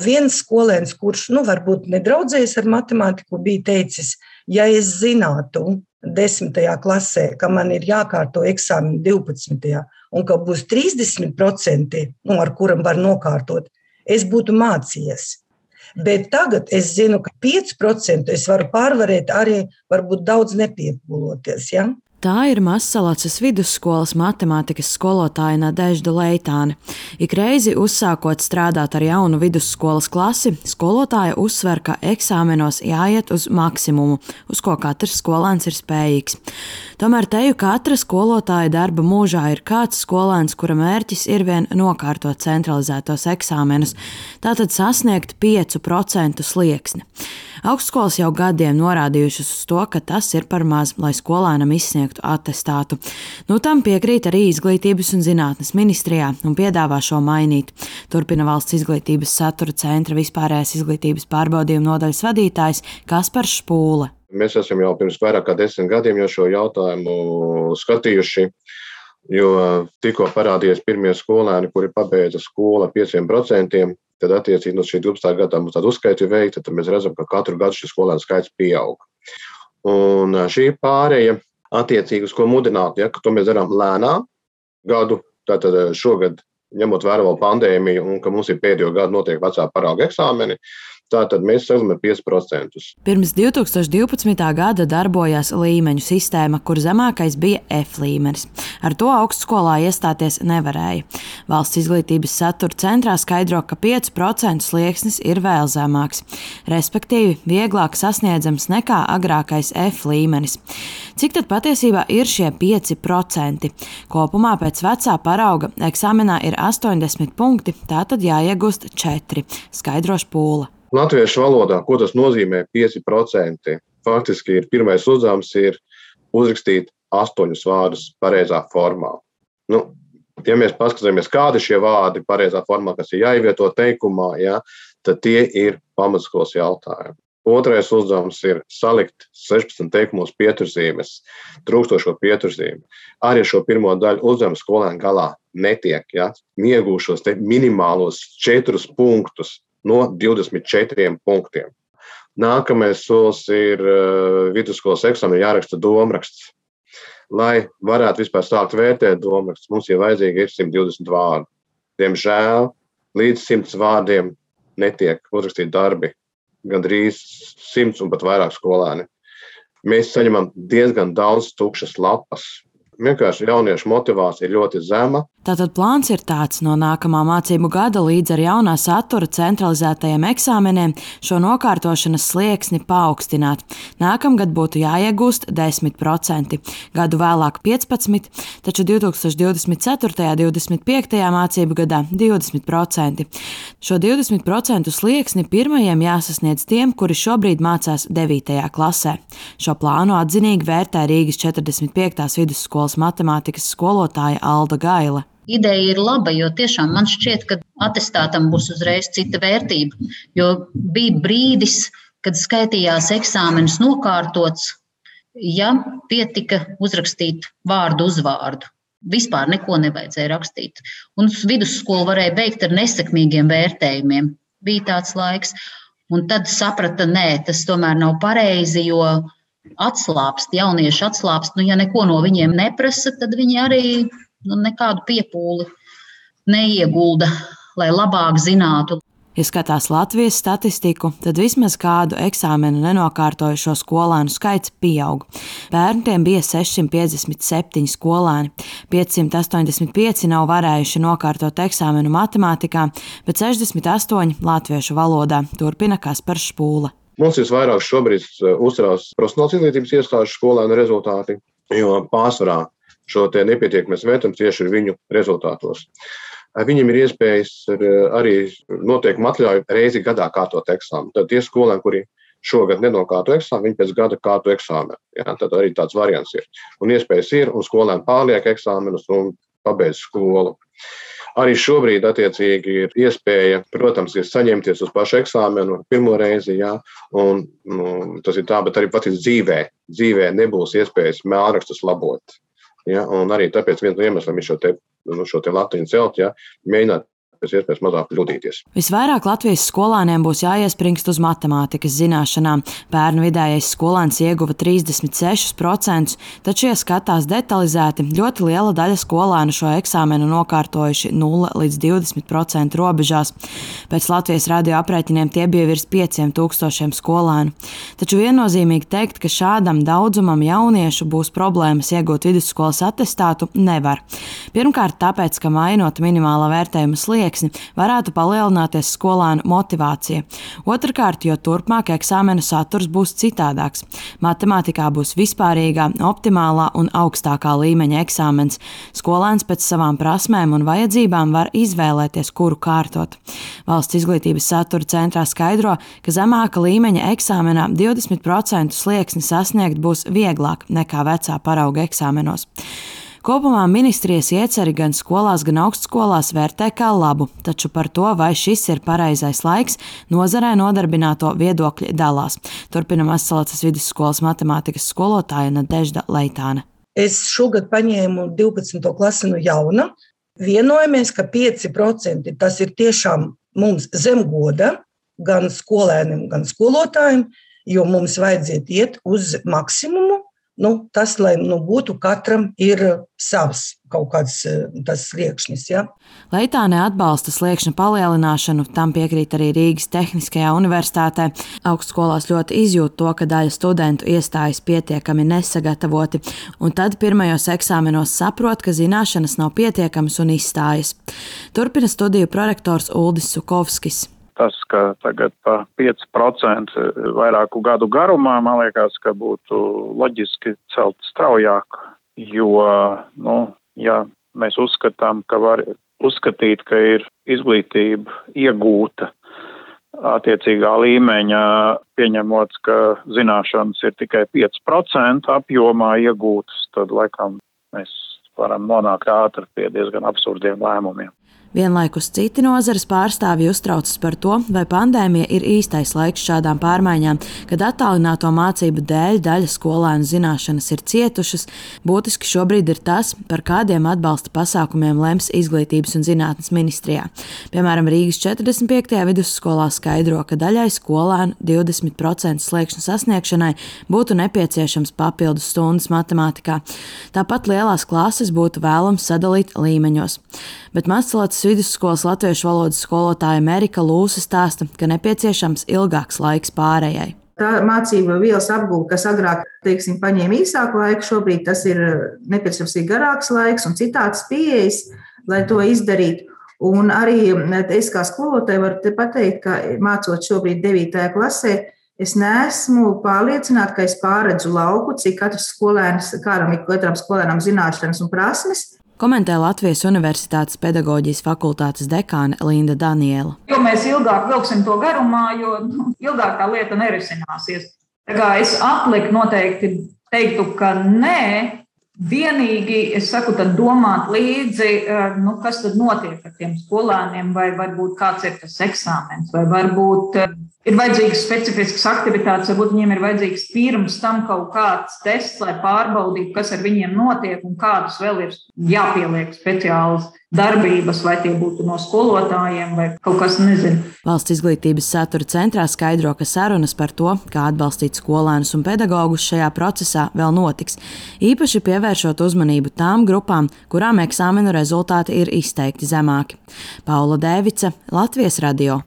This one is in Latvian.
Viens skolēns, kurš varbūt nedraudzējas ar matemātiku, bija teicis, ja es zinātu 10. klasē, ka man ir jākārto eksāmeni 12. un ka būs 30%, ar kuram var nokārtot, es būtu mācījies. Bet tagad es zinu, ka 5% es varu pārvarēt arī varbūt daudz nepiepūloties. Ja? Tā ir Mazsalacas vidusskolas matemātikas skolotāja Nadežda Leitāne. Ik reizi uzsākot strādāt ar jaunu vidusskolas klasi, skolotāja uzsver, ka eksāmenos jāiet uz maksimumu, uz ko katrs skolēns ir spējīgs. Tomēr teju katra skolotāja darba mūžā ir kāds skolēns, kura mērķis ir vien nokārtot centralizētos eksāmenus, tātad sasniegt 5% slieksni. Augstskolas jau gadiem norādījušas uz to, ka tas ir par maz, lai skolēnam izsniegtu atestātu. Tam piekrīt arī Izglītības un zinātnes ministrijā un piedāvā šo mainīt. Turpina Valsts izglītības satura centra vispārējās izglītības pārbaudījuma nodaļas vadītājs Kaspars Špūle. Mēs esam jau pirms vairāk kā 10 gadiem šo jautājumu skatījuši, jo tikko parādījās pirmie skolēni, kuri pabeidza skolu ar 5%. Tad attiecīgi no šī 12. gadā mums tāda uzskaita ir veikta, tad mēs redzam, ka katru gadu šis skolēnu skaits pieaug. Un šī pārēja attiecīgi uz ko mudināt, ka to mēs darām lēnā gadu, tātad šogad ņemot vērā vēl pandēmiju un ka mums ir pēdējo gadu notiek vecā parauga eksāmeni, tātad mēs sākam ar 5%. Pirms 2012. gada darbojās līmeņu sistēma, kur zemākais bija F līmenis. Ar to augstskolā iestāties nevarēja. Valsts izglītības satura centrā skaidro, ka 5% slieksnis ir vēl zemāks, respektīvi vieglāk sasniedzams nekā agrākais F līmenis. Cik tad patiesībā ir šie 5%? Kopumā pēc vecā parauga eksāmenā ir 80 punkti, tātad jāiegūst 4, skaidro Špūle. Latviešu valodā, ko tas nozīmē 5%? Faktiski pirmais uzdevums ir uzrakstīt 8 vārdus pareizā formā. Ja mēs paskatāmies, kādi šie vārdi pareizā formā, kas ir jāievieto teikumā, tad tie ir pamatskolas jautājumi. Otrais uzdevums ir salikt 16 teikumos pieturzīmes, trūkstošo pieturzīmi. Arī šo pirmo daļu uzdevumu skolēnu galā netiek, iegūšos minimālos 4 punktus no 24 punktiem. Nākamais solis ir vidusskolas eksāmenā jāraksta domraksts. Lai varētu vispār sākt vērtēt domrakstus, mums ir vajadzīgi 120 vārdi. Diemžēl līdz 100 vārdiem netiek uzrakstīti darbi. Gandrīz 100 un pat vairāk skolēni. Mēs saņemam diezgan daudz tukšas lapas. Vienkārši jauniešu motivācija ir ļoti zema. Tātad plāns ir tāds: no nākamā mācību gada līdz ar jaunā satura centralizētajiem eksāmeniem šo nokārtošanas slieksni paaugstināt. Nākamgad būtu jāiegūst 10%, gadu vēlāk 15%, taču 2024. un 2025. mācību gadā 20%. Šo 20% slieksni pirmajiem jāsasniedz tiem, kuri šobrīd mācās 9. klasē. Šo plānu atzinīgi vērtē Rīgas 45. vidusskolas matemātikas skolotāja Alda Gaile. Ideja ir laba, jo tiešām man šķiet, ka atestātam būs uzreiz cita vērtība. Jo bija brīdis, kad skaitījās eksāmenis nokārtots, ja pietika uzrakstīt vārdu uz vārdu. Vispār neko nevajadzēja rakstīt. Un vidusskolu varēja beigt ar nesekmīgiem vērtējumiem. Bija tāds laiks. Un tad saprata, nē, tas tomēr nav pareizi, jo atslāpst, jaunieši atslāpst. Ja neko no viņiem neprasa, tad viņi arī nekādu piepūli neiegulda, lai labāk zinātu. Ja skatās Latvijas statistiku, tad vismaz kādu eksāmenu nenokārtojušo skolēnu skaits pieaug. Pērn tiem bija 657 skolēni, 585 nav varējuši nokārtot eksāmenu matemātikā, bet 68 latviešu valodā, turpina Kaspars Špūle. Mums visvairāk šobrīd uztrauc profesionālās izglītības iestāžu skolēnu rezultāti, jo pārsvarā šo te nepietiekamies vērtējums tieši ir viņu rezultātos. Viņiem ir iespējas arī noteikumi atļauj reizi gadā kārtot eksāmenu. Tad tie skolēni, kuri šogad nenokārto eksāmenu, viņi pēc gada kārto eksāmenu. Tad arī tāds variants ir. Un iespējas ir, un skolēni pārliek eksāmenus un pabeidz skolu. Arī šobrīd attiecīgi ir iespēja, protams, ir saņemties uz pašu eksāmenu pirmo reizi, un tas ir tā, bet arī pat dzīvē nebūs iespējas mēlrakstus labot. Un arī tāpēc viens no iemesliem ir šo te latiņu celt, mēģināt pēc iespējas mazāk kļūdīties. Visvairāk Latvijas skolēniem būs jāiespringst uz matemātikas zināšanām. Pērn vidējais skolēns ieguva 36%, taču, ja skatās detalizēti, ļoti liela daļa skolēnu šo eksāmenu nokārtojuši 0 līdz 20% robežās. Pēc Latvijas radio aprēķiniem tie bija virs 5000 skolēnu. Taču viennozīmīgi teikt, ka šādam daudzumam jauniešu būs problēmas iegūt vidusskolas atestātu, nevar. Pirmkārt, tāpēc, ka mainot minimālā vērtējuma slieksni, varētu palielināties skolēnu motivācija. Otrkārt, jo turpmāk eksāmenu saturs būs citādāks. Matemātikā būs vispārīgā, optimālā un augstākā līmeņa eksāmens. Skolēns pēc savām prasmēm un vajadzībām var izvēlēties, kuru kārtot. Valsts izglītības satura centrā skaidro, ka zemāka līmeņa eksāmenā 20% slieksni sasniegt būs vieglāk nekā vecā parauga eksāmenos. Kopumā ministrijas ieceri gan skolās, gan augstskolās vērtē kā labu, taču par to, vai šis ir pareizais laiks, nozarē nodarbināto viedokļi dalās. Turpina Mazsalacas vidusskolas matemātikas skolotāja Nadežda Leitāne. Es šogad paņēmu 12. klasi no jauna. Vienojamies, ka 5% tas ir tiešām mums zem goda, gan skolēniem, gan skolotājiem, jo mums vajadzētu iet uz maksimumu. Tas, lai būtu katram ir savs kaut kāds tas sliekšnis. Ja? Leitāne atbalsta sliekšņa palielināšanu, tam piekrīt arī Rīgas Tehniskajā universitātē. Augstskolās ļoti izjūt to, ka daļa studentu iestājas pietiekami nesagatavoti, un tad pirmajos eksāmenos saprot, ka zināšanas nav pietiekamas un izstājas. Turpina studiju prorektors Uldis Sukovskis. Tas, ka tagad pa 5% vairāku gadu garumā, man liekas, ka būtu loģiski celt straujāk, jo, ja mēs uzskatām, ka var uzskatīt, ka ir izglītība iegūta attiecīgā līmeņa, pieņemot, ka zināšanas ir tikai 5% apjomā iegūtas, tad laikam mēs varam nonākt ātri pie diezgan absurdiem lēmumiem. Vienlaikus citi nozares pārstāvji uztraucas par to, vai pandēmija ir īstais laiks šādām pārmaiņām, kad attālināto mācību dēļ daļa skolēnu zināšanas ir cietušas. Būtiski šobrīd ir tas, par kādiem atbalsta pasākumiem lems Izglītības un zinātnes ministrijā. Piemēram, Rīgas 45. vidusskolā skaidro, ka daļai skolēnu 20% sliekšņa sasniegšanai būtu nepieciešams papildus stundas matemātikā. Tāpat lielās klases būtu vēlams sadalīt līmeņos. Bet Mazsalacas vidusskolas latviešu valodas skolotāja Merika Lūse stāsta, ka nepieciešams ilgāks laiks pārējai. Tā mācība vielas apgūve, kas agrāk, paņēma īsāku laiku, šobrīd tas ir nepieciešams garāks laiks un citāds pieejas, lai to izdarītu. Un arī es kā skolotāja varu pateikt, ka mācot šobrīd 9. klasē, es neesmu pārliecināta, ka es pārredzu lauku, cik katram skolēnam zināšanas un prasmes. Komentē Latvijas Universitātes pedagoģijas fakultātes dekāne Linda Daniela. Jo mēs ilgāk vilksim to garumā, jo ilgāk tā lieta nerisināsies. Tā kā es atliku noteikti teiktu, ka nē, vienīgi es saku, tad domāt līdzi, kas tad notiek ar tiem skolēniem, vai varbūt kāds ir tas eksāmens, vai varbūt ir vajadzīgas specifiskas aktivitātes, varbūt viņiem ir vajadzīgs pirms tam kaut kāds tests, lai pārbaudītu, kas ar viņiem notiek un kādas vēl ir jāpieliek speciālas darbības, vai tie būtu no skolotājiem vai kaut kas, nezinu. Valsts izglītības satura centrā skaidro, ka sarunas par to, kā atbalstīt skolēnus un pedagogus šajā procesā, vēl notiks. Īpaši pievēršot uzmanību tām grupām, kurām eksāmenu rezultāti ir izteikti zemāki. Paula Dēvice, Latvijas radio.